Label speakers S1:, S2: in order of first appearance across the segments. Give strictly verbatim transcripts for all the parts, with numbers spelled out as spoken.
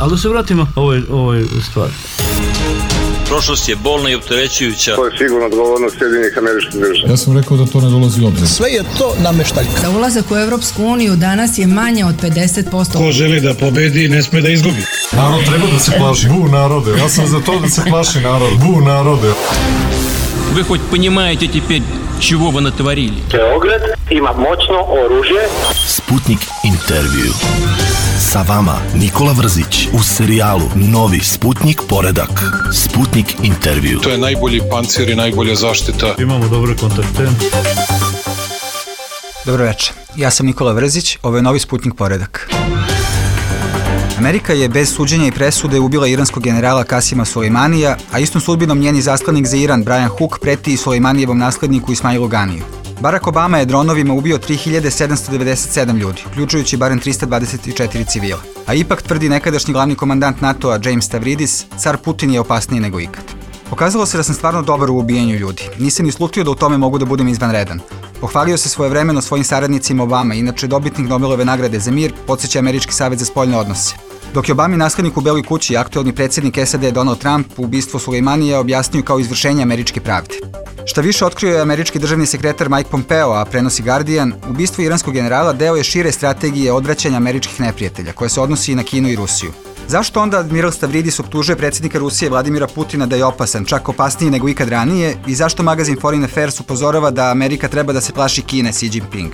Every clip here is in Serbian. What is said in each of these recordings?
S1: Ali da se vratimo ovoj, ovoj stvari.
S2: Prošlost je bolna i opterećujuća.
S3: To je sigurno odgovornost Sjedinjenih Američkih Država.
S4: Ja sam rekao da to ne dolazi u obzir.
S5: Sve je to nameštaljka.
S6: Za ulazak u Evropsku uniju danas je manje od pedeset posto.
S7: Ko želi da pobedi, ne sme da izgubi.
S4: Narod treba da se plaši. Bu narode. Ja sam za to da se plaši narod. Bu narode.
S8: Вы хоть понимаете теперь, чего вы натворили?
S3: Beograd ima moćno oružje.
S5: Sputnik intervju. Sa vama Nikola Vrzić u serijalu Novi Sputnik poredak. Sputnik intervju.
S7: To je najbolji pancir i najbolja zaštita.
S1: Imamo dobre kontakte.
S9: Dobro večer, ja sam Nikola Vrzić, ovo je Novi Sputnik poredak. Amerika je bez suđenja i presude ubila iranskog generala Kasima Sulejmanija, a istom sudbinom njeni zaslanik za Iran, Brian Hook, preti i Sulejmanijevom nasledniku Ismailu Ganiju. Barack Obama je dronovima ubio tri hiljade sedamsto devedeset sedam ljudi, uključujući barem trista dvadeset četiri civila. A ipak, tvrdi nekadašnji glavni komandant NATO-a James Stavridis, car Putin je opasniji nego ikad. Pokazalo se da sam stvarno dobar u ubijanju ljudi. Nisam ni slutio da u tome mogu da budem izvanredan. Pohvalio se svojevremeno svojim saradnicima Obama, inače dobitnik Nobelove nagrade za mir, podsjeća Američki savet za spoljne odnose. Dok je Obami naslednik u Beloj kući i aktuelni predsjednik S A D Donald Trump ubistvo Sulejmanija objasnio kao izvršenje američke pravde. Šta više, otkrio je američki državni sekretar Mike Pompeo, a prenosi Guardian, ubistvo iranskog generala deo je šire strategije odvraćanja američkih neprijatelja, koja se odnosi i na Kinu i Rusiju. Zašto onda admiral Stavridis optužuje predsjednika Rusije Vladimira Putina da je opasan, čak opasniji nego ikad ranije, i zašto magazin Foreign Affairs upozorava da Amerika treba da se plaši Kine, Xi Jinping?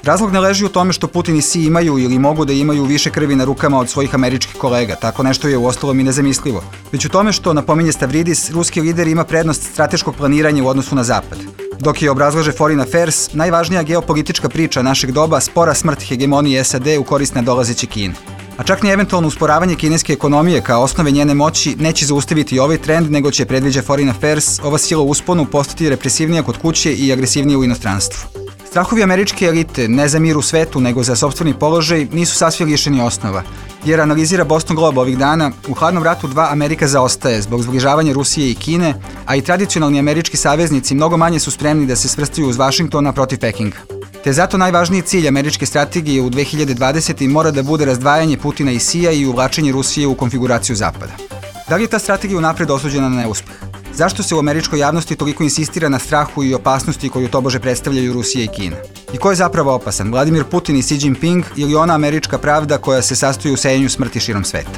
S9: Razlog ne leži u tome što Putin i Xi imaju ili mogu da imaju više krvi na rukama od svojih američkih kolega, tako nešto je uostalom i nezamislivo. Već u tome što, napominje Stavridis, ruski lider ima prednost strateškog planiranja u odnosu na zapad. Dok je, obrazlaže Foreign Affairs, najvažnija geopolitička priča našeg doba spora smrt hegemonije S A D u korist nadolazeće Kine. A čak ni eventualno usporavanje kineske ekonomije kao osnove njene moći neće zaustaviti ovaj trend, nego će, predviđa Foreign Affairs, ova sila u usponu postati represivnija kod kuće i agresivnija u inostranstvu. Strahovi američke elite, ne za mir u svetu, nego za sopstveni položaj, nisu sasvim lišeni osnova. Jer, analizira Boston Globe ovih dana, u hladnom ratu dva Amerika zaostaje zbog zbližavanja Rusije i Kine, a i tradicionalni američki saveznici mnogo manje su spremni da se svrstaju uz Vašingtona protiv Pekinga. Te zato najvažniji cilj američke strategije u dve hiljade dvadesete. mora da bude razdvajanje Putina i Xija i uvlačenje Rusije u konfiguraciju Zapada. Da li je ta strategija unapred osuđena na neuspeh? Zašto se u američkoj javnosti toliko insistira na strahu i opasnosti koju tobože predstavljaju Rusija i Kina? I ko je zapravo opasan, Vladimir Putin i Xi Jinping ili ona američka pravda koja se sastoji u sejenju smrti širom sveta?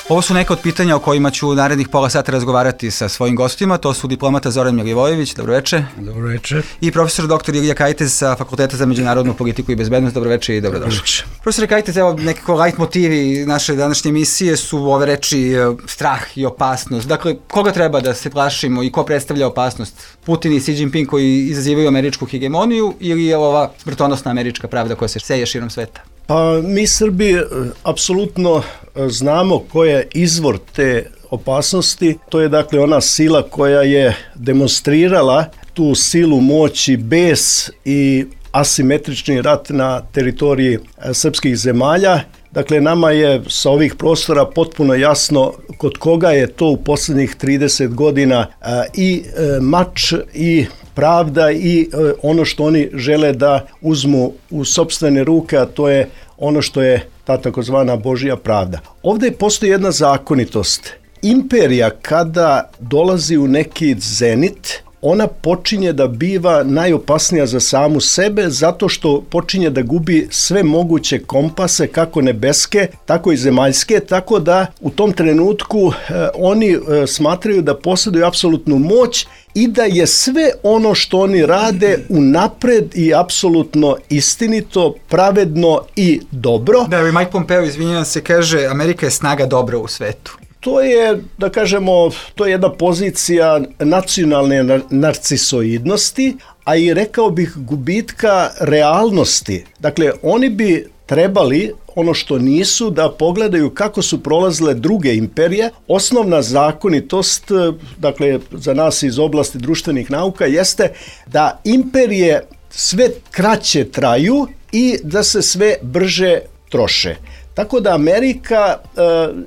S9: Ovo su neka od pitanja o kojima ću u narednih pola sata razgovarati sa svojim gostima. To su diplomata Zoran Milivojević, dobroveče.
S7: Dobroveče.
S1: I profesor doktor Ilija Kajtez sa Fakulteta za međunarodnu politiku i bezbednost. Dobroveče i dobrodošli. Profesor Kajtez, evo nekako light motivi naše današnje emisije su ove reči strah i opasnost. Dakle, koga treba da se plašimo i ko predstavlja opasnost? Putin i Xi Jinping koji izazivaju američku hegemoniju ili je ova smrtonosna američka pravda koja se seje širom sveta?
S10: Pa mi Srbi apsolutno znamo ko je izvor te opasnosti. To je dakle ona sila koja je demonstrirala tu silu moći, bes i asimetrični rat na teritoriji srpskih zemalja. Dakle, nama je sa ovih prostora potpuno jasno kod koga je to u posljednjih trideset godina i mač i pravda i ono što oni žele da uzmu u sopstvene ruke, a to je ono što je ta takozvana Božja pravda. Ovdje postoji jedna zakonitost. Imperija kada dolazi u neki zenit, ona počinje da biva najopasnija za samu sebe zato što počinje da gubi sve moguće kompase, kako nebeske, tako i zemaljske, tako da u tom trenutku eh, oni eh, smatraju da posjeduju apsolutnu moć i da je sve ono što oni rade unapred i apsolutno istinito, pravedno i dobro.
S9: Da, i Mike Pompeo, izvinjavam se, kaže Amerika je snaga dobra u svetu.
S10: To je, da kažemo, to je jedna pozicija nacionalne narcisoidnosti, a i rekao bih gubitka realnosti. Dakle, oni bi trebali, ono što nisu, da pogledaju kako su prolazile druge imperije. Osnovna zakonitost, dakle, za nas iz oblasti društvenih nauka, jeste da imperije sve kraće traju i da se sve brže troše. Tako da Amerika e,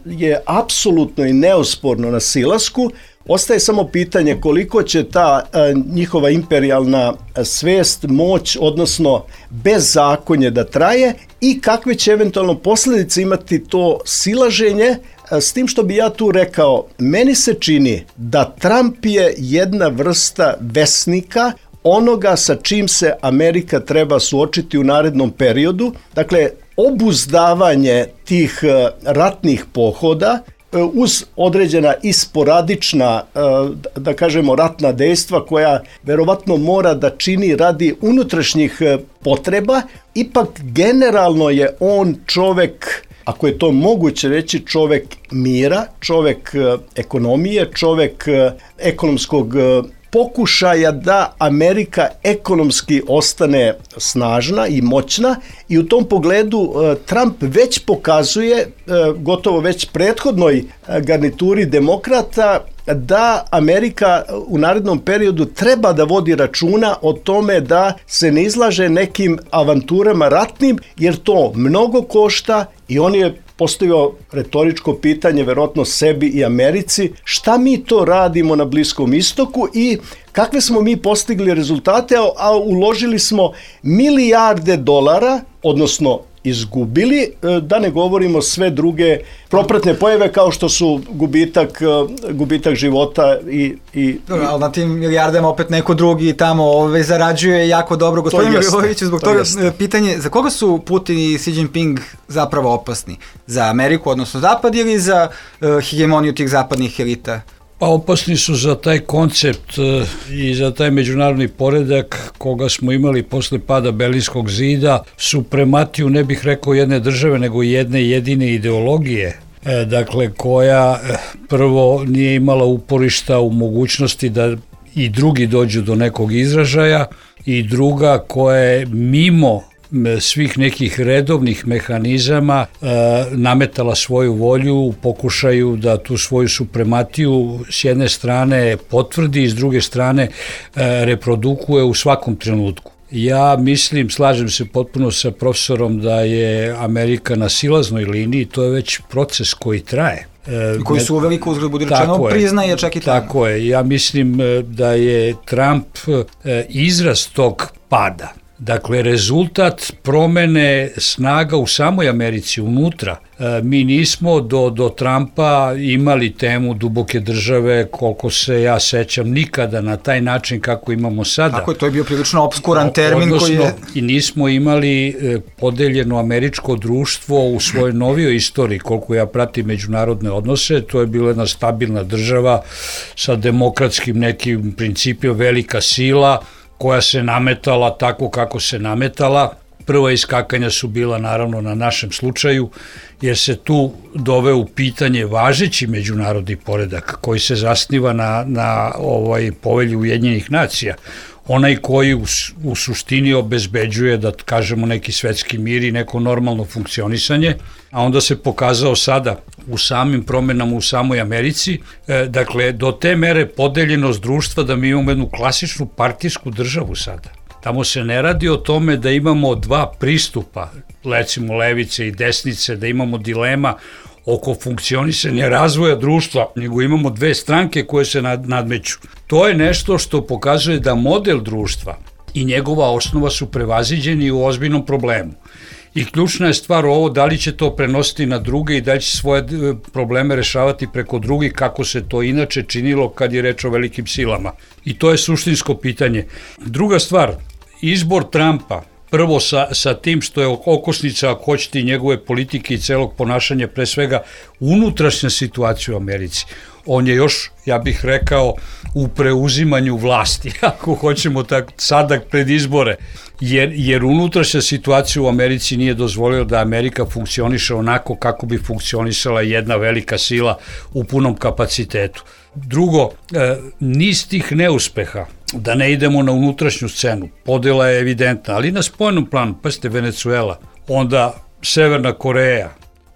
S10: je apsolutno i neosporno na silasku. Ostaje samo pitanje koliko će ta njihova imperijalna svest, moć, odnosno bezzakonje da traje i kakve će eventualno posljedice imati to silaženje, s tim što bi ja tu rekao, meni se čini da Trump je jedna vrsta vesnika onoga sa čim se Amerika treba suočiti u narednom periodu. Dakle, obuzdavanje tih ratnih pohoda uz određena i sporadična, da kažemo, ratna dejstva koja verovatno mora da čini radi unutrašnjih potreba, ipak generalno je on čovek, ako je to moguće reći, čovek mira, čovek ekonomije, čovek ekonomskog pokušaja da Amerika ekonomski ostane snažna i moćna i u tom pogledu Trump već pokazuje, gotovo već prethodnoj garnituri demokrata, da Amerika u narednom periodu treba da vodi računa o tome da se ne izlaže nekim avanturama ratnim, jer to mnogo košta i on je postavio retoričko pitanje, verovatno sebi i Americi, šta mi to radimo na Bliskom istoku i kakve smo mi postigli rezultate, a uložili smo milijarde dolara, odnosno izgubili, da ne govorimo sve druge propratne pojave kao što su gubitak, gubitak života i... i
S1: dobro, ali na tim milijardama opet neko drugi tamo ove, zarađuje jako dobro. Gospodin Milivojević, zbog to toga jest. Pitanje, za koga su Putin i Xi Jinping zapravo opasni? Za Ameriku, odnosno Zapad, ili za uh, hegemoniju tih zapadnih elita?
S7: Pa opasni su za taj koncept i za taj međunarodni poredak koga smo imali posle pada Berlinskog zida, suprematiju, ne bih rekao jedne države, nego jedne jedine ideologije, dakle koja prvo nije imala uporišta u mogućnosti da i drugi dođu do nekog izražaja i druga koja je mimo svih nekih redovnih mehanizama e, nametala svoju volju u pokušaju da tu svoju suprematiju s jedne strane potvrdi i s druge strane e, reprodukuje u svakom trenutku. Ja mislim, slažem se potpuno sa profesorom da je Amerika na silaznoj liniji, to je već proces koji traje.
S1: E, koji su uveliko uzgled budi rečeno priznaje čak i tamo.
S7: Tako je, ja mislim da je Trump e, izraz tog pada. Dakle, rezultat promene snaga u samoj Americi, unutra. E, mi nismo do, do Trumpa imali temu duboke države, koliko se ja sećam, nikada na taj način kako imamo sada.
S1: Tako je, to je bio prilično obskuran termin.
S7: Odnosno,
S1: koji je...
S7: i nismo imali e, podeljeno američko društvo u svojoj novijoj istoriji, koliko ja pratim međunarodne odnose, to je bila jedna stabilna država sa demokratskim nekim principima, velika sila, koja se nametala tako kako se nametala. Prva iskakanja su bila naravno na našem slučaju, jer se tu doveo u pitanje važeći međunarodni poredak koji se zasniva na, na ovaj povelji Ujedinjenih nacija. Onaj koji u, u suštini obezbeđuje, da kažemo, neki svetski mir i neko normalno funkcionisanje, a onda se pokazao sada u samim promenama u samoj Americi, e, dakle, do te mere podeljenost društva da mi imamo jednu klasičnu partijsku državu sada. Tamo se ne radi o tome da imamo dva pristupa, recimo levice i desnice, da imamo dilema oko funkcionisanja razvoja društva, nego imamo dve stranke koje se nad, nadmeću. To je nešto što pokazuje da model društva i njegova osnova su prevaziđeni u ozbiljnom problemu. I ključna je stvar ovo, da li će to prenositi na druge i da li će svoje probleme rešavati preko drugih, kako se to inače činilo kad je reč o velikim silama. I to je suštinsko pitanje. Druga stvar, izbor Trumpa, prvo sa, sa tim što je okosnica, ako hoćete, njegove politike i celog ponašanja, pre svega unutrašnja situacija u Americi. On je još, ja bih rekao, u preuzimanju vlasti, ako hoćemo tak, sada pred izbore, jer, jer unutrašnja situacija u Americi nije dozvolila da Amerika funkcioniše onako kako bi funkcionisala jedna velika sila u punom kapacitetu. Drugo, e, niz tih neuspeha, da ne idemo na unutrašnju scenu, podela je evidentna, ali na spoljnom planu, pa ste Venezuela, onda Severna Koreja,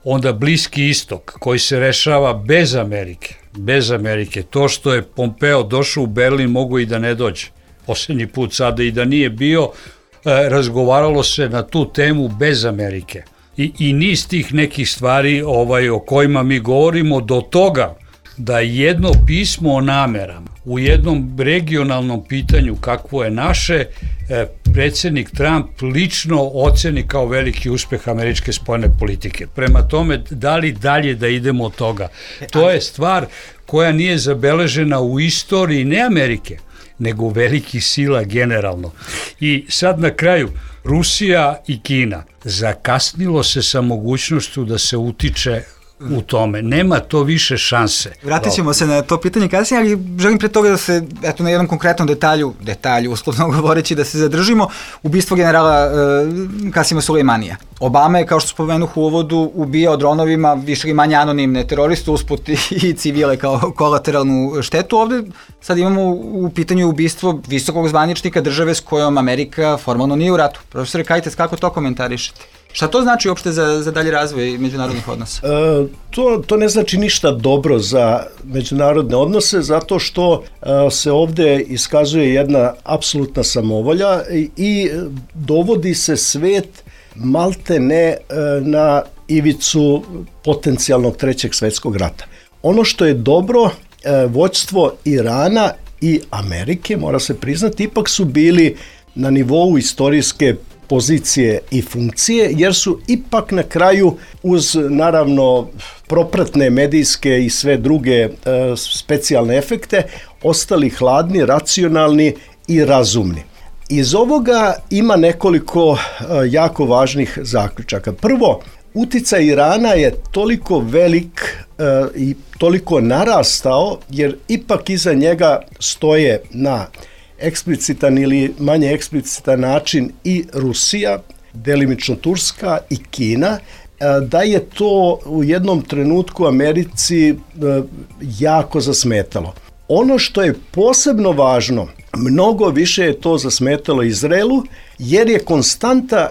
S7: onda Bliski istok koji se rešava bez Amerike, bez Amerike. To što je Pompeo došao u Berlin mogo i da ne dođe. Posljednji put sada i da nije bio, e, razgovaralo se na tu temu bez Amerike. I, i niz tih nekih stvari ovaj, o kojima mi govorimo do toga da jedno pismo o namerama u jednom regionalnom pitanju kakvo je naše, predsjednik Trump lično oceni kao veliki uspeh američke spoljne politike. Prema tome, da li dalje da idemo od toga? To je stvar koja nije zabeležena u istoriji ne Amerike, nego velikih sila generalno. I sad na kraju, Rusija i Kina, zakasnilo se sa mogućnošću da se utiče u tome. Nema to više šanse.
S1: Vratit ćemo se na to pitanje kasnije, ali želim pre toga da se, eto, na jednom konkretnom detalju, detalju, uslovno govoreći, da se zadržimo, ubistvo generala e, Kasima Sulejmanija. Obama je, kao što spomenuh u uvodu, ubijao dronovima više ili manje anonimne teroriste, usput i civile kao kolateralnu štetu. Ovde sad imamo u pitanju ubistvo visokog zvaničnika države s kojom Amerika formalno nije u ratu. Profesore Kajtec, kako to komentarišete? Šta to znači uopšte za, za dalji razvoj međunarodnih odnosa?
S10: E, to, to ne znači ništa dobro za međunarodne odnose, zato što e, se ovde iskazuje jedna apsolutna samovolja i, i dovodi se svet malte ne e, na ivicu potencijalnog trećeg svetskog rata. Ono što je dobro, e, vođstvo Irana i Amerike, mora se priznati, ipak su bili na nivou istorijske pozicije i funkcije, jer su ipak na kraju uz naravno propratne medijske i sve druge e, specijalne efekte ostali hladni, racionalni i razumni. Iz ovoga ima nekoliko e, jako važnih zaključaka. Prvo, uticaj Irana je toliko velik e, i toliko narastao, jer ipak iza njega stoje na eksplicitan ili manje eksplicitan način i Rusija, delimično Turska i Kina, da je to u jednom trenutku Americi jako zasmetalo. Ono što je posebno važno, mnogo više je to zasmetalo Izraelu, jer je konstanta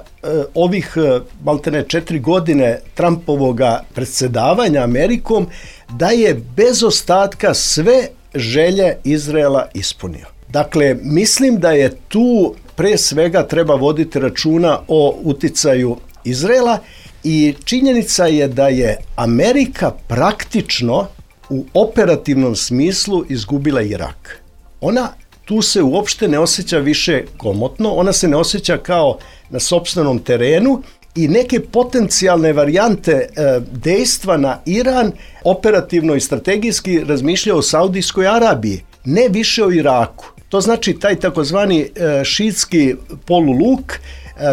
S10: ovih maltene četiri godine Trumpovoga predsjedavanja Amerikom da je bez ostatka sve želje Izraela ispunio. Dakle, mislim da je tu pre svega treba voditi računa o uticaju Izraela i činjenica je da je Amerika praktično u operativnom smislu izgubila Irak. Ona tu se uopšte ne osjeća više komotno, ona se ne osjeća kao na sopstvenom terenu i neke potencijalne varijante e, dejstva na Iran operativno i strategijski razmišlja o Saudijskoj Arabiji, ne više o Iraku. To znači taj takozvani e, šiitski poluluk e,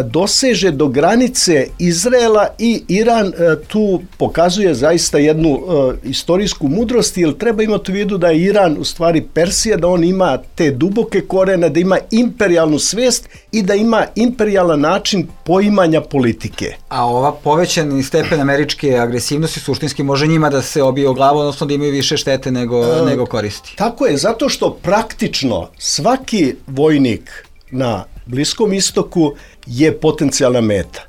S10: doseže do granice Izraela i Iran e, tu pokazuje zaista jednu e, istorijsku mudrost, jer treba imati u vidu da je Iran u stvari Persija, da on ima te duboke korene, da ima imperijalnu svest i da ima imperijalan način poimanja politike.
S1: A ova povećani stepen američke agresivnosti suštinski može njima da se obije o glavu, odnosno da imaju više štete nego, e, nego koristi.
S10: Tako je, zato što praktično svaki vojnik na Bliskom istoku je potencijalna meta.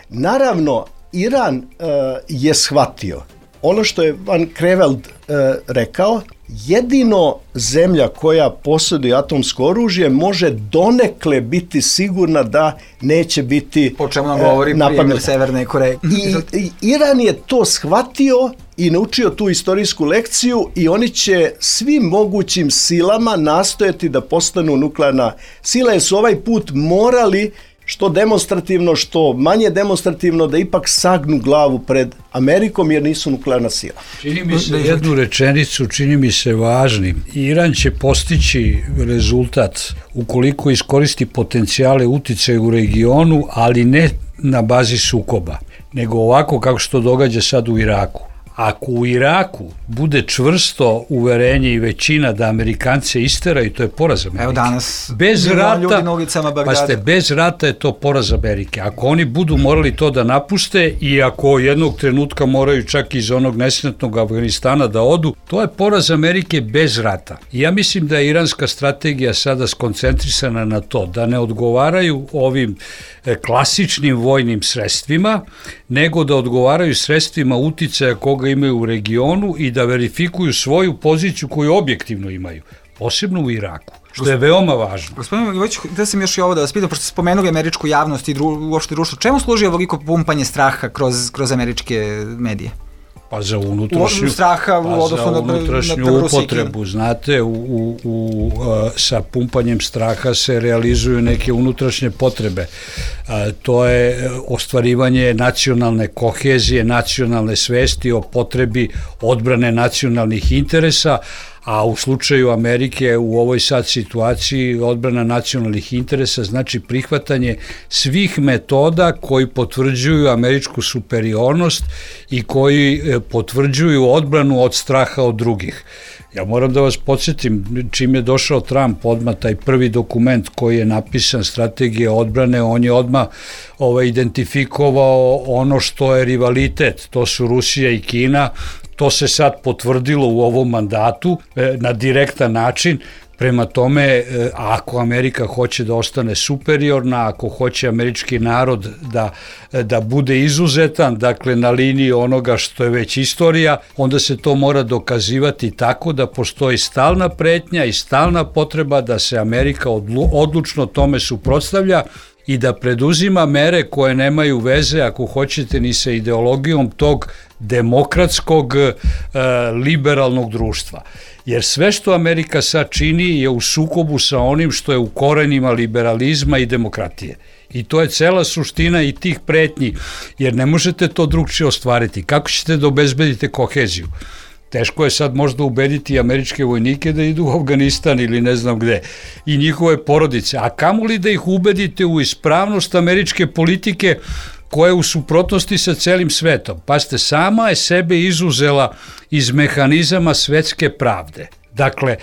S10: Naravno, Iran e, je shvatio ono što je Van Creveld e, rekao, jedino zemlja koja posjeduje atomsko oružje može donekle biti sigurna da neće biti
S1: po čemu nam govori primjer Severne Koreje.
S10: I, I Iran je to shvatio i naučio tu istorijsku lekciju i oni će svim mogućim silama nastojati da postanu nuklearna sila, jer su ovaj put morali što demonstrativno, što manje demonstrativno, da ipak sagnu glavu pred Amerikom, jer nisu nuklearna sila.
S7: Čini mi se jednu rečenicu, čini mi se važnim. Iran će postići rezultat ukoliko iskoristi potencijale uticaja u regionu, ali ne na bazi sukoba, nego ovako kako što događa sad u Iraku. Ako u Iraku bude čvrsto uverenje i većina da Amerikance isteraju, to je poraz Amerike.
S1: Evo danas
S7: bez rata,
S1: ljudi na ulicama Bagdada.
S7: Pa ste, bez rata je to poraz Amerike. Ako oni budu morali to da napuste i ako jednog trenutka moraju čak iz onog nesretnog Afganistana da odu, to je poraz Amerike bez rata. I ja mislim da je iranska strategija sada skoncentrisana na to, da ne odgovaraju ovim klasičnim vojnim sredstvima, nego da odgovaraju sredstvima uticaja koga imaju u regionu i da verifikuju svoju poziciju koju objektivno imaju, posebno u Iraku, što je veoma važno.
S1: Gospodin Milivojević, da sam još i ovo da vas pitam, pošto ste spomenuli američku javnost i dru, uopšte društvo, čemu služi ovoliko pumpanje straha kroz, kroz američke medije?
S7: Pa za unutrašnju,
S1: straha u
S7: pa
S1: odnosu
S7: za
S1: na,
S7: unutrašnju
S1: na, na
S7: upotrebu, znate, u, u, u, sa pumpanjem straha se realizuju neke unutrašnje potrebe. A, to je ostvarivanje nacionalne kohezije, nacionalne svesti o potrebi odbrane nacionalnih interesa, a u slučaju Amerike u ovoj sad situaciji odbrana nacionalnih interesa znači prihvatanje svih metoda koji potvrđuju američku superiornost i koji potvrđuju odbranu od straha od drugih. Ja moram da vas podsjetim, čim je došao Trump, odmah taj prvi dokument koji je napisan, strategija odbrane, on je odmah ovaj, identifikovao ono što je rivalitet, to su Rusija i Kina. To se sad potvrdilo u ovom mandatu e, na direktan način. Prema tome, e, ako Amerika hoće da ostane superiorna, ako hoće američki narod da, da bude izuzetan, dakle na liniji onoga što je već istorija, onda se to mora dokazivati tako da postoji stalna pretnja i stalna potreba da se Amerika odlu, odlučno tome suprotstavlja i da preduzima mere koje nemaju veze, ako hoćete, ni sa ideologijom tog demokratskog e, liberalnog društva. Jer sve što Amerika sad čini je u sukobu sa onim što je u korenima liberalizma i demokratije. I to je cela suština i tih pretnji, jer ne možete to drugčije ostvariti. Kako ćete da obezbedite koheziju? Teško je sad možda ubediti američke vojnike da idu u Afganistan ili ne znam gde i njihove porodice, a kamoli da ih ubedite u ispravnost američke politike koja je u suprotnosti sa celim svetom. Pazite, sama je sebe izuzela iz mehanizama svetske pravde. Dakle,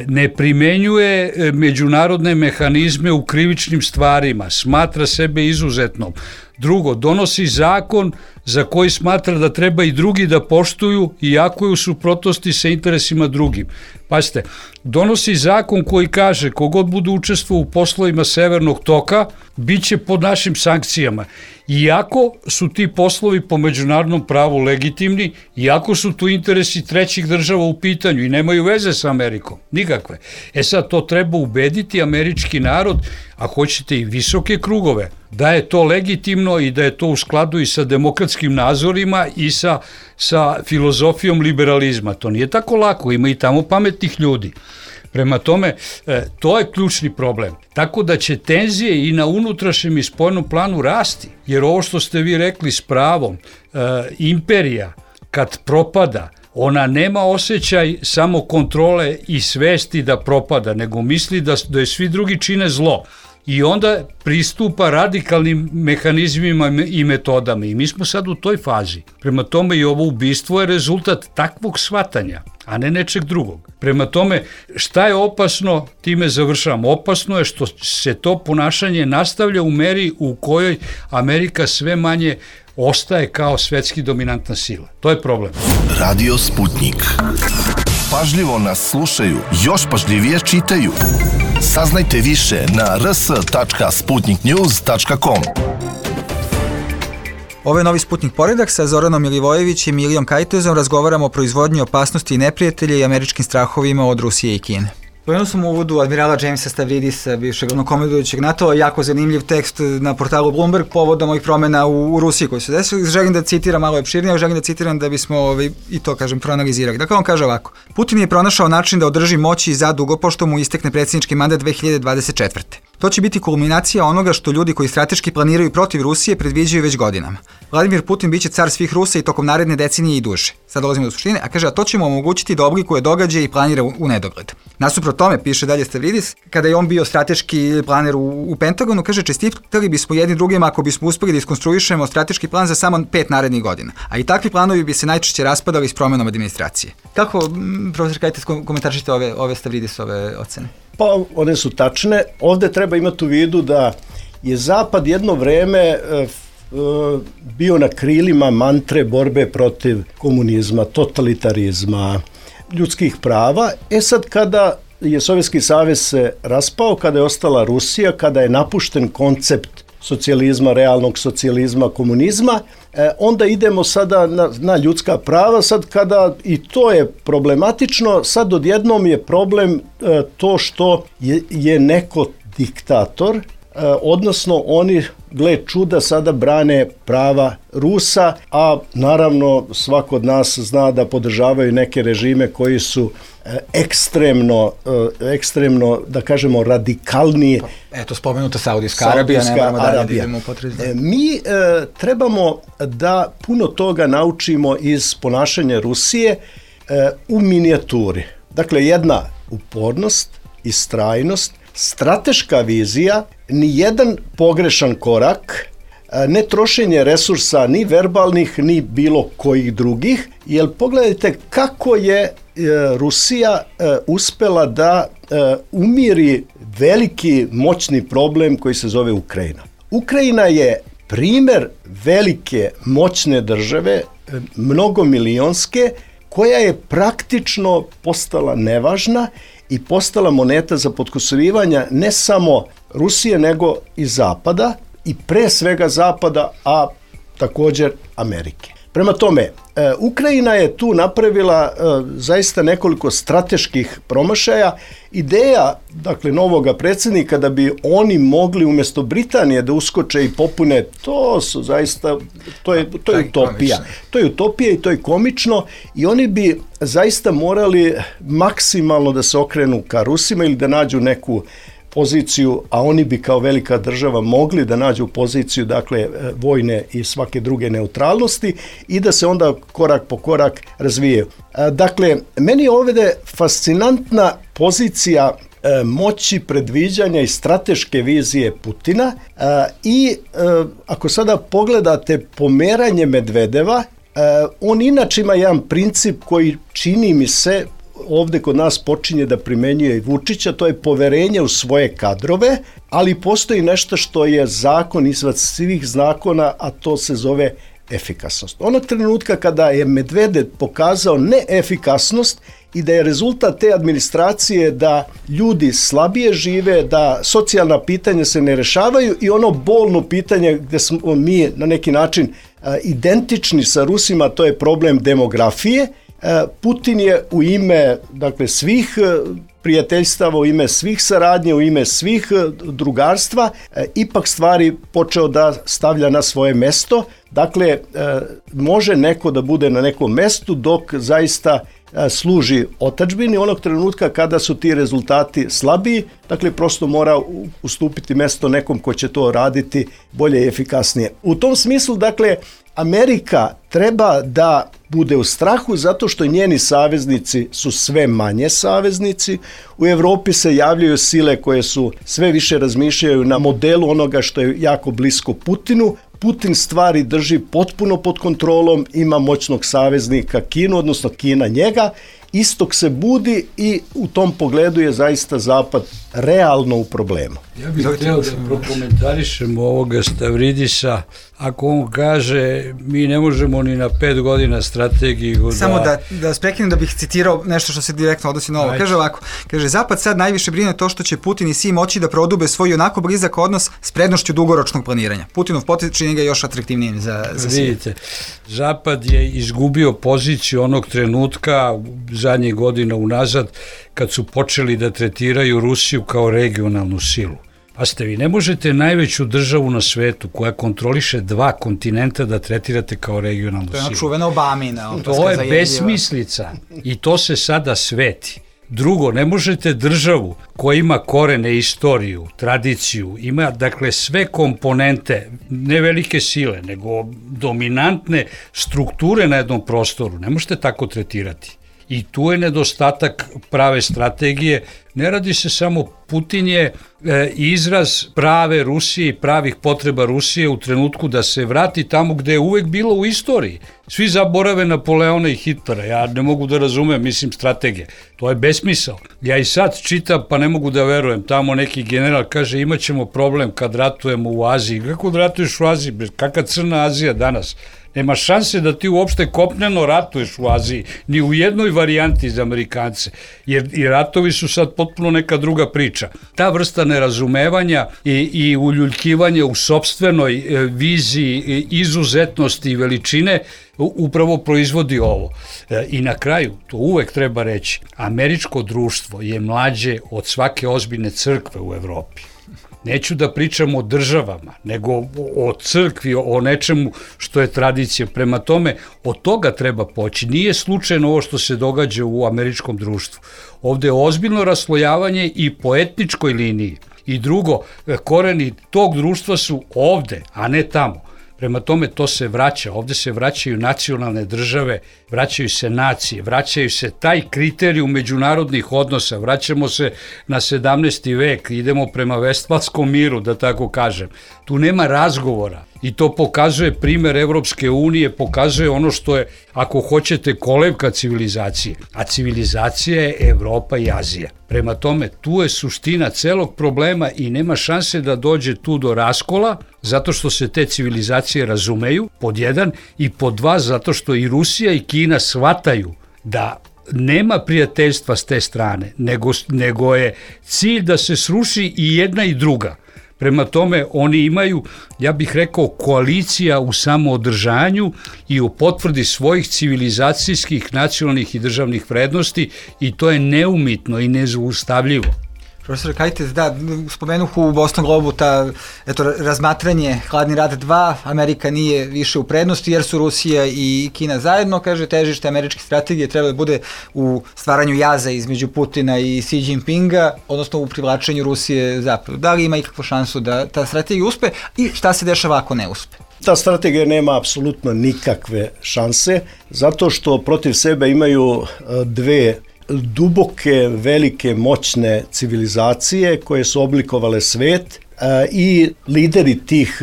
S7: ne primenjuje međunarodne mehanizme u krivičnim stvarima, smatra sebe izuzetnom. Drugo, donosi zakon za koji smatra da treba i drugi da poštuju, iako je u suprotnosti sa interesima drugim. Pazite, donosi zakon koji kaže kogod bude učestvovao u poslovima Severnog toka, bit će pod našim sankcijama. Iako su ti poslovi po međunarodnom pravu legitimni, iako su tu interesi trećih država u pitanju i nemaju veze sa Amerikom, nikakve. E sad, to treba ubediti američki narod, a hoćete i visoke krugove, da je to legitimno i da je to u skladu i sa demokratskim nazorima i sa, sa filozofijom liberalizma. To nije tako lako, ima i tamo pametnih ljudi. Prema tome, to je ključni problem. Tako da će tenzije i na unutrašnjem i spoljnom planu rasti, jer ovo što ste vi rekli s pravom, imperija kad propada, ona nema osjećaj samo kontrole i svesti da propada, nego misli da, da je svi drugi čine zlo. I onda pristupa radikalnim mehanizmima i metodama. I mi smo sad u toj fazi. Prema tome i ovo ubistvo je rezultat takvog shvatanja, a ne nečeg drugog. Prema tome, šta je opasno, time završavam. Opasno je što se to ponašanje nastavlja u meri u kojoj Amerika sve manje ostaje kao svetski dominantna sila. To je problem.
S5: Radio Sputnik. Pažljivo nas slušaju, još pažljivije čitaju. Saznajte više na r s tačka sputnik news tačka com.
S9: Ovo je Novi Sputnik Poredak sa Zoranom Milivojevićem i Ilijom Kajtezom. Razgovaramo o proizvodnji opasnosti i neprijatelja i američkim strahovima od Rusije i Kine.
S1: Pomenuo sam u uvodu admirala Jamesa Stavridisa, bivšeg glavnokomandujućeg NATO, jako zanimljiv tekst na portalu Bloomberg povodom ovih promjena u, u Rusiji koji su desili. Želim da citiram malo opširnije, želim da citiram da bismo ovaj, i to, kažem, proanalizirali. Dakle, on kaže ovako. Putin je pronašao način da održi moći za dugo pošto mu istekne predsjednički mandat dve hiljade dvadeset četvrte. To će biti kulminacija onoga što ljudi koji strateški planiraju protiv Rusije predviđaju već godinama. Vladimir Putin biće car svih Rusa i tokom naredne decenije i duže. Sad dolazimo do suštine, a kaže, a to će mu omogućiti da oblikuje događaje i planira u, u nedogled. Nasuprot tome, piše dalje Stavridis, kada je on bio strateški planer u, u Pentagonu, kaže, čestitali bismo jedni drugima ako bismo uspeli da iskonstruišemo strateški plan za samo pet narednih godina. A i takvi planovi bi se najčešće raspadali s promjenom administracije. Kako, profesor Kajtes, komentaršite ove, ove Stavridisove ocene?
S10: Pa one su tačne. Ovde treba imati u vidu da je Zapad jedno vreme e, e, bio na krilima mantre borbe protiv komunizma, totalitarizma, ljudskih prava. E sad kada je Sovjetski savez se raspao, kada je ostala Rusija, kada je napušten koncept socijalizma, realnog socijalizma, komunizma, e, onda idemo sada na, na ljudska prava. Sad kada i to je problematično, sad odjednom je problem e, to što je, je neko diktator, e, odnosno oni gle čuda, sada brane prava Rusa, a naravno svako od nas zna da podržavaju neke režime koji su ekstremno, ekstremno, da kažemo, radikalniji.
S1: Eto, spomenuta Saudijska Arabija, ne moramo dalje da idemo u potrezi.
S10: Mi e, trebamo da puno toga naučimo iz ponašanja Rusije e, u minijaturi. Dakle, jedna upornost, istrajnost, strateška vizija, ni jedan pogrešan korak, ne trošenje resursa ni verbalnih ni bilo kojih drugih, jer pogledajte kako je Rusija uspela da umiri veliki moćni problem koji se zove Ukrajina. Ukrajina je primer velike moćne države, mnogomilionske, koja je praktično postala nevažna i postala moneta za potkusurivanje ne samo Rusije nego i Zapada, i pre svega Zapada, a također Amerike. Prema tome, Ukrajina je tu napravila zaista nekoliko strateških promašaja. Ideja, dakle, novoga predsjednika da bi oni mogli umjesto Britanije da uskoče i popune, to su zaista, to je, to je utopija. To je utopija i to je komično i oni bi zaista morali maksimalno da se okrenu ka Rusima ili da nađu neku poziciju, a oni bi kao velika država mogli da nađu poziciju, dakle, vojne i svake druge neutralnosti i da se onda korak po korak razvijaju. Dakle, meni je ovdje fascinantna pozicija moći, predviđanja i strateške vizije Putina i ako sada pogledate pomeranje Medvedeva, on inače ima jedan princip koji čini mi se ovdje kod nas počinje da primenjuje i Vučića, to je poverenje u svoje kadrove, ali postoji nešto što je zakon izvad svih zakona, a to se zove efikasnost. Onog trenutka kada je Medvedev pokazao neefikasnost i da je rezultat te administracije da ljudi slabije žive, da socijalna pitanja se ne rešavaju i ono bolno pitanje gdje smo mi na neki način identični sa Rusima, to je problem demografije. Putin je u ime, dakle, svih prijateljstava, u ime svih saradnje, u ime svih drugarstva, ipak stvari počeo da stavlja na svoje mesto. Dakle, može neko da bude na nekom mestu dok zaista služi otadžbini. Onog trenutka kada su ti rezultati slabiji, dakle, prosto mora ustupiti mesto nekom ko će to raditi bolje i efikasnije. U tom smislu, dakle, Amerika treba da bude u strahu zato što njeni saveznici su sve manje saveznici. U Evropi se javljaju sile koje su sve više razmišljaju na modelu onoga što je jako blisko Putinu. Putin stvari drži potpuno pod kontrolom, ima moćnog saveznika Kinu, odnosno Kina njega. Istok se budi i u tom pogledu je zaista Zapad realno u problemu.
S7: Ja bih htio da prokomentarišemo ovoga Stavridisa. Ako on kaže mi ne možemo ni na pet godina strategiju da...
S1: Samo da, da sprekinem da bih citirao nešto što se direktno odnosi na ovo. Kaže ovako, kaže Zapad sad najviše brine to što će Putin i Si moći da prodube svoj onako blizak odnos s prednošću dugoročnog planiranja. Putinov potez čini ga još atraktivnijim za, za Si.
S7: Vidite, Zapad je izgubio poziciju onog trenutka zadnjih godina unazad kad su počeli da tretiraju Rusiju kao regionalnu silu. Pa ste vi, ne možete najveću državu na svetu koja kontroliše dva kontinenta da tretirate kao regionalnu silu.
S1: To je ona čuvena Obamina.
S7: To je besmislica i to se sada sveti. Drugo, ne možete državu koja ima korene, istoriju, tradiciju, ima dakle sve komponente, ne velike sile, nego dominantne strukture na jednom prostoru, ne možete tako tretirati. I tu je nedostatak prave strategije. Ne radi se samo, Putin je e, izraz prave Rusije i pravih potreba Rusije u trenutku da se vrati tamo gde je uvek bilo u istoriji. Svi zaborave Napoleona i Hitlera, ja ne mogu da razumem, mislim, strategije. To je besmisao. Ja i sad čitam, pa ne mogu da verujem, tamo neki general kaže imat ćemo problem kad ratujemo u Aziji. Kako da ratuješ u Aziji? Kakva crna Azija danas? Nema šanse da ti uopšte kopneno ratuješ u Aziji, ni u jednoj varijanti za Amerikance, jer i ratovi su sad potpuno neka druga priča. Ta vrsta nerazumevanja i, i uljuljkivanja u sopstvenoj e, viziji e, izuzetnosti i veličine upravo proizvodi ovo. E, I na kraju, to uvek treba reći, američko društvo je mlađe od svake ozbiljne crkve u Evropi. Neću da pričam o državama, nego o crkvi, o nečemu što je tradicija. Prema tome, od toga treba poći. Nije slučajno ovo što se događa u američkom društvu. Ovde je ozbiljno raslojavanje i po etničkoj liniji. I drugo, koreni tog društva su ovde, a ne tamo. Prema tome to se vraća, ovde se vraćaju nacionalne države, vraćaju se nacije, vraćaju se taj kriterijum međunarodnih odnosa, vraćamo se na sedamnaesti vek, idemo prema Vestfalskom miru, da tako kažem. Tu nema razgovora i to pokazuje primer Evropske unije, pokazuje ono što je, ako hoćete, kolevka civilizacije, a civilizacija je Evropa i Azija. Prema tome, tu je suština celog problema i nema šanse da dođe tu do raskola, zato što se te civilizacije razumeju, pod jedan, i pod dva, zato što i Rusija i Kina shvataju da nema prijateljstva s te strane, nego, nego je cilj da se sruši i jedna i druga. Prema tome, oni imaju, ja bih rekao, koalicija u samoodržanju i u potvrdi svojih civilizacijskih, nacionalnih i državnih vrednosti i to je neumitno i nezaustavljivo.
S1: Profesor Kajtez, da, spomenuh u Boston Globu ta, eto, razmatranje Hladni rat dva, Amerika nije više u prednosti jer su Rusija i Kina zajedno, kaže, težište američke strategije treba da bude u stvaranju jaza između Putina i Xi Jinpinga, odnosno u privlačenju Rusije zapadu. Da li ima ikakvu šansu da ta strategija uspe i šta se dešava ako ne uspe?
S10: Ta strategija nema apsolutno nikakve šanse, zato što protiv sebe imaju dve duboke, velike, moćne civilizacije koje su oblikovale svet i lideri tih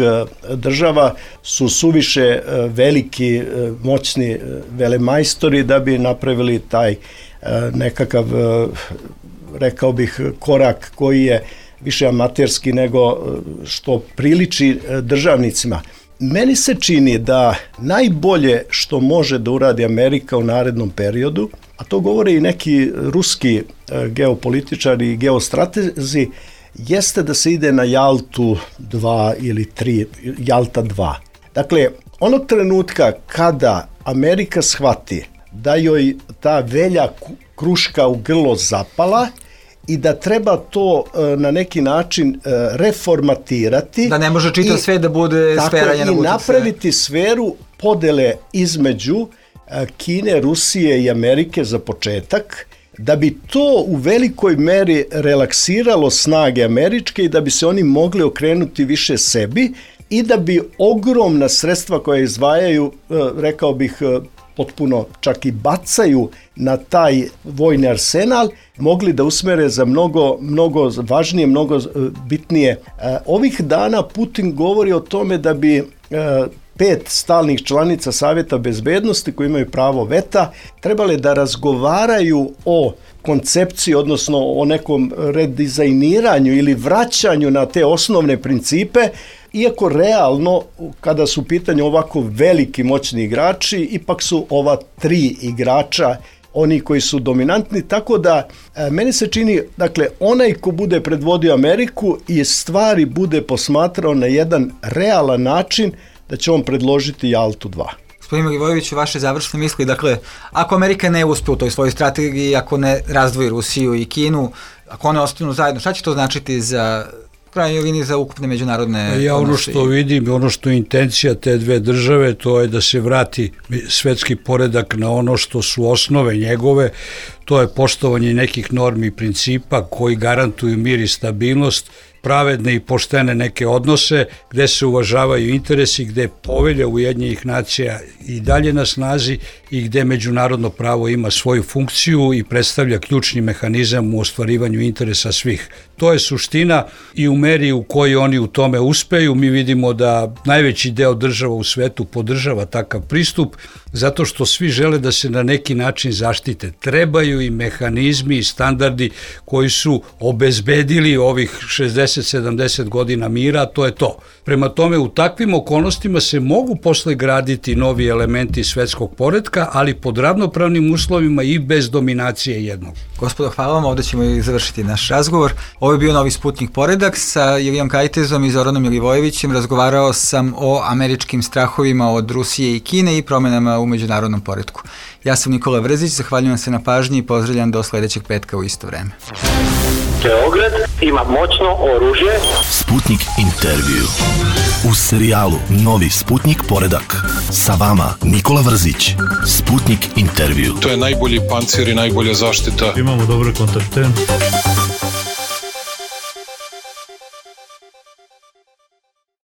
S10: država su suviše veliki, moćni velemajstori da bi napravili taj nekakav, rekao bih, korak koji je više amaterski nego što priliči državnicima. Meni se čini da najbolje što može da uradi Amerika u narednom periodu, a to govore i neki ruski geopolitičari i geostratezi, jeste da se ide na Jaltu dva ili tri, Jalta dva. Dakle, onog trenutka kada Amerika shvati da joj ta velja kruška u grlo zapala i da treba to na neki način reformatirati.
S1: Da ne može čitav sve da bude sfera njena uticaja.
S10: I napraviti sferu podele između Kine, Rusije i Amerike za početak, da bi to u velikoj meri relaksiralo snage američke i da bi se oni mogli okrenuti više sebi i da bi ogromna sredstva koje izdvajaju, rekao bih, potpuno čak i bacaju na taj vojni arsenal, mogli da usmere za mnogo, mnogo važnije, mnogo bitnije. Ovih dana Putin govori o tome da bi pet stalnih članica Savjeta bezbednosti koji imaju pravo veta trebale da razgovaraju o koncepciji, odnosno o nekom redizajniranju ili vraćanju na te osnovne principe, iako realno, kada su u pitanju ovako veliki moćni igrači, ipak su ova tri igrača oni koji su dominantni, tako da e, meni se čini, dakle, onaj ko bude predvodio Ameriku i stvari bude posmatrao na jedan realan način, da će on predložiti Jaltu dva.
S1: Gospodin Milivojević, vaše završne misli, dakle, ako Amerika ne uspe u toj svojoj strategiji, ako ne razdvoji Rusiju i Kinu, ako one ostanu zajedno, šta će to značiti za krajnjoj liniji za ukupne međunarodne
S7: Ja ono što vidim, ono što je intencija te dve države, to je da se vrati svetski poredak na ono što su osnove njegove, to je poštovanje nekih normi i principa koji garantuju mir i stabilnost, pravedne i poštene neke odnose, gde se uvažavaju interesi, gde povelja Ujedinjenih nacija i dalje na snazi i gde međunarodno pravo ima svoju funkciju i predstavlja ključni mehanizam u ostvarivanju interesa svih. To je suština i u meri u kojoj oni u tome uspeju. Mi vidimo da najveći deo država u svetu podržava takav pristup, zato što svi žele da se na neki način zaštite. Trebaju i mehanizmi i standardi koji su obezbedili ovih šezdeset sedamdeset godina mira, to je to. Prema tome, u takvim okolnostima se mogu posle graditi novi elementi svetskog poretka, ali pod ravnopravnim uslovima i bez dominacije jednog.
S1: Gospodo, hvala vam, ovde ćemo i završiti naš razgovor. Ovo je bio Novi Sputnik Poredak sa Ilijom Kajtezom i Zoranom Milivojevićem. Razgovarao sam o američkim strahovima od Rusije i Kine i promenama u međunarodnom poretku. Ja sam Nikola Vrzić, zahvaljujem se na pažnji i pozdravljam do sledećeg petka u isto vreme.
S3: Beograd ima moćno oružje.
S5: Sputnik intervju. U serijalu Novi Sputnik poredak. Sa vama Nikola Vrzić. Sputnik intervju.
S4: To je najbolji pancir i najbolja zaštita.
S11: Imamo dobre kontakte.